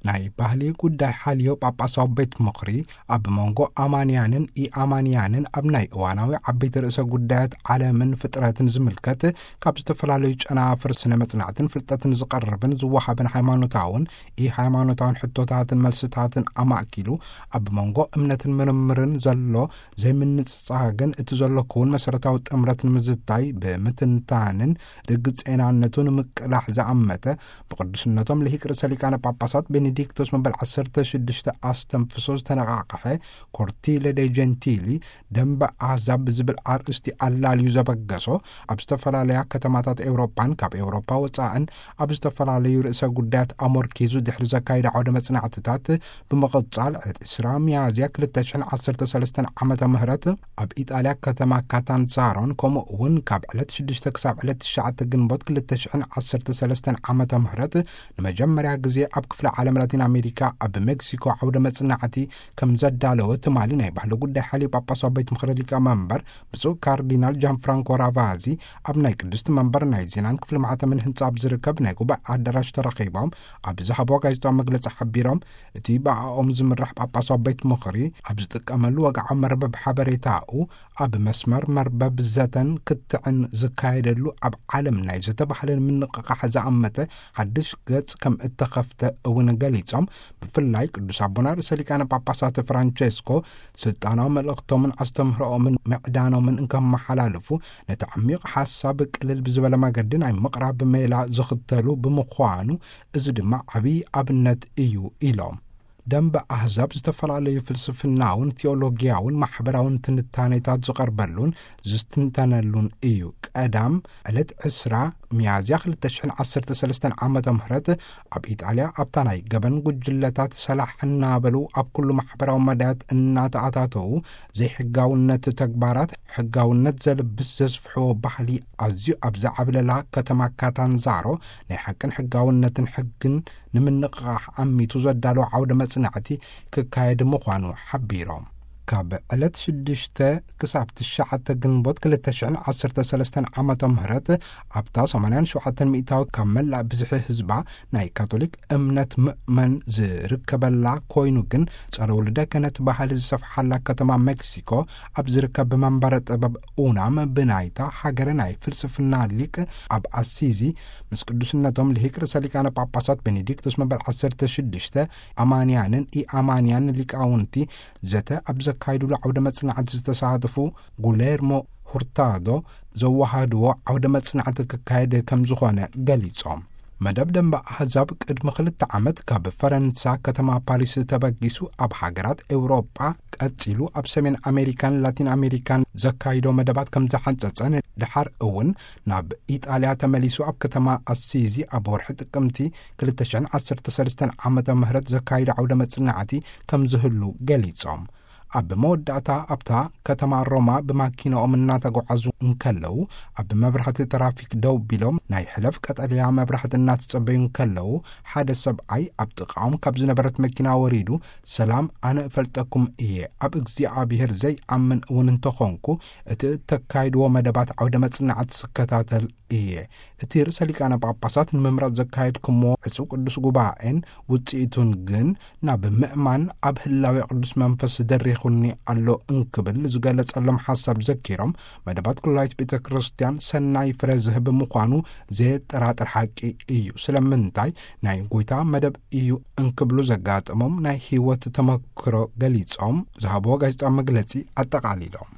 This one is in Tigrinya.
ናይ ባህሊ ጉዳይ ሓልዮ ጳጳሳዊ ቤት ምኽሪ፣ ኣብ መንጎ ኣማንያንን ኢኣማንያንን ኣብ ናይ እዋናዊ ዓበይቲ ርእሰ ጉዳያት ዓለምን ፍጥረትን ዝምልከት ካብ ዝተፈላለዩ ጨናፍር ስነ መጽናዕትን ፍልጠትን ዝቐርብን ዝወሃብን ሃይማኖታውን ኢሃይማኖታውን ሕቶታትን መልስታትን ኣማእኪሉ፣ ኣብ መንጎ እምነትን ምርምርን ዘሎ ዘይምንጽጻግን እቲ ዘሎ ክውን መሰረታዊ ጥምረት ንምዝታይ ብምትንታንን ርግጽ ጤናነቱ ንምቅላሕ ዝኣመተ፣ ብቅዱስነቶም ልሂቅ ርእሰ ሊቃነ ጳጳሳት ቤኔዲክቶስ መበል ዓሰርተ ሽዱሽተ ኣስተንፍሶ ዝተነቓቕሐ ኮርቲለ ዴ ጀንቲሊ፣ ደንበ ኣህዛብ ብዝብል ኣርእስቲ ኣላልዩ ዘበገሶ፣ ኣብ ዝተፈላለያ ከተማታት ኤውሮጳን ካብ ኤውሮጳ ወጻእን ኣብ ዝተፈላለዩ ርእሰ ጉዳያት ኣሞርኪዙ ድሕሪ ዘካይደ ዓውደ መጽናዕትታት፣ ብምቕጻል ዕለት ዕስራ ሚያዝያ ክልተ ሽሕን ዓሰርተ ሰለስተን ዓመተ ምህረት ኣብ ኢጣልያ ከተማ ካታንዛሮን፣ ከምኡ እውን ካብ ዕለት ሽዱሽተ ክሳብ ዕለት ትሽዓተ ግንቦት ክልተ ሽሕን ዓሰርተ ሰለስተን ዓመተ ምህረት ንመጀመርያ ግዜ ኣብ ክፍለ ዓለም ላቲን ኣሜሪካ ኣብ ሜክሲኮ ዓውደ መጽናዕቲ ከም ዘዳለወ ትማሊ ናይ ባህሊ ጉዳይ ሓልዮ ጳጳሳዊ ቤት ምኽሪ ሊቀ መንበር ብፁዕ ካርዲናል ጃን ፍራንኮ ራቫዚ ኣብ ናይ ቅድስቲ መንበር ናይ ዜናን ክፍሊ ማሕተምን ህንጻ ኣብ ዝርከብ ናይ ጉባኤ ኣዳራሽ ተረኺቦም ኣብ ዝሃብዎ ጋዜጣዊ መግለጺ ሓቢሮም፣ እቲ ብኣኦም ዝምራሕ ጳጳሳዊ ቤት ምኽሪ ኣብ ዝጥቀመሉ ወግዓዊ መርበብ ሓበሬታኡ፣ ኣብ መስመር መርበብ ዘተን ክትዕን ዝካየደሉ ኣብ ዓለም ናይ ዘተ ባህልን ምንቕቓሕ ዝኣመተ ሓድሽ ገጽ ከም እተኸፍተ እውን ገሊጾም፣ ብፍላይ ቅዱስ ኣቦና ርእሰ ሊቃነ ጳጳሳት ፍራንቸስኮ ስልጣናዊ መልእኽቶምን ኣስተምህሮኦምን ምዕዳኖምን እንከመሓላልፉ፣ ነቲ ዓሚቕ ሓሳብ ቅልል ብዝበለ መገዲ ናይ ምቕራብ ሜላ ዝኽተሉ ብምዃኑ፣ እዚ ድማ ዓብዪ ኣብነት እዩ ኢሎም። ደንበ ኣህዛብ ዝተፈላለዩ ፍልስፍናውን ቴዎሎጊያውን ማሕበራውን ትንታኔታት ዝቐርበሉን ዝትንተነሉን እዩ። ቀዳም ዕለት ዕስራ ሚያዝያ ክልተ ሽሕን ዓሰርተ ሰለስተን ዓመተ ምህረት ኣብ ኢጣልያ ኣብታ ናይ ገበን ጉጅለታት ሰላሕ እናበሉ ኣብ ኩሉ ማሕበራዊ መዳያት እናተኣታተዉ ዘይሕጋውነት ተግባራት ሕጋውነት ዘልብስ ዘስፍሕዎ ባህሊ ኣዝዩ ኣብ ዝዓብለላ ከተማ ካታንዛሮ ናይ ሓቅን ሕጋውነትን ሕግን ንምንቕቓሕ ኣሚቱ ዘዳለወ ዓውደ መጽናዕቲ ክካየድ ምዃኑ ሓቢሮም። ካብ ዕለት ሽዱሽተ ክሳብ ትሽዓተ ግንቦት ክልተ ሽሕን ዓሰርተ ሰለስተን ዓመተ ምህረት ኣብታ ሰማንያን ሸውዓተን ሚእታዊ ካብ መላእ ብዝሒ ህዝባ ናይ ካቶሊክ እምነት ምእመን ዝርከበላ ኮይኑ ግን ጸረ ውልደ ክህነት ባህሊ ዝሰፍሓላ ከተማ ሜክሲኮ ኣብ ዝርከብ መንበረ ጥበብ ኡናም ብናይታ ሃገረ ናይ ፍልስፍና ሊቅ ኣብ ኣሲዚ ምስ ቅዱስነቶም ልሂቅ ርእሰ ሊቃነ ጳጳሳት ቤኔዲክቶስ መበል ዓሰርተ ሽዱሽተ ኣማንያንን ኢኣማንያን ሊቃውንቲ ዘተ ኣብ ዘካይዱሉ ዓውደ መጽናዕቲ ዝተሳተፉ ጉሌርሞ ሁርታዶ ዘወሃድዎ ዓውደ መጽናዕቲ ክካየድ ከም ዝኾነ ገሊጾም። መደብ ደንበ ኣህዛብ ቅድሚ ክልተ ዓመት ካብ ፈረንሳ ከተማ ፓሪስ ተበጊሱ ኣብ ሃገራት ኤውሮጳ ቀጺሉ ኣብ ሰሜን ኣሜሪካን ላቲን ኣሜሪካን ዘካይዶ መደባት ከም ዝሓንጸጸን ድሓር እውን ናብ ኢጣልያ ተመሊሱ ኣብ ከተማ ኣሲዚ ኣብ ወርሒ ጥቅምቲ ክልተ ሽሕን ዓሰርተ ሰለስተን ዓመተ ምህረት ዘካይዶ ዓውደ መጽናዕቲ ከም ዝህሉ ገሊጾም። ኣብ መወዳእታ ኣብታ ከተማ ሮማ ብማኪናኦም እናተጓዓዙ እንከለዉ፣ ኣብ መብራህቲ ትራፊክ ደው ቢሎም ናይ ሕለፍ ቀጠልያ መብራህቲ እናተጸበዩ እንከለዉ፣ ሓደ ሰብኣይ ኣብ ጥቓኦም ካብ ዝነበረት መኪና ወሪዱ፣ "ሰላም፣ ኣነ እፈልጠኩም እየ። ኣብ እግዚኣብሔር ዘይኣምን እውን እንተኾንኩ፣ እቲ እተካይድዎ መደባት ዓውደ መጽናዕቲ ስከታተል እየ። እቲ ርእሰ ሊቃነ ጳጳሳት ንምምራጽ ዘካየድኩምዎ ዕጹው ቅዱስ ጉባኤን ውጽኢቱን ግን ናብ ምእማን ኣብ ህላዌ ቅዱስ መንፈስ ደሪኹኒ ኣሎ" እንክብል ዝገለጸሎም ሓሳብ ዘኪሮም፣ መደባት ኩላይት ቤተ ክርስቲያን ሰናይ ፍረ ዝህብ ምዃኑ ዘየጠራጥር ሓቂ እዩ። ስለምንታይ ናይ ጐይታ መደብ እዩ እንክብሉ ዘጋጠሞም ናይ ህይወት ተመክሮ ገሊጾም ዝሃብዎ ጋዜጣዊ መግለጺ ኣጠቓሊሎም።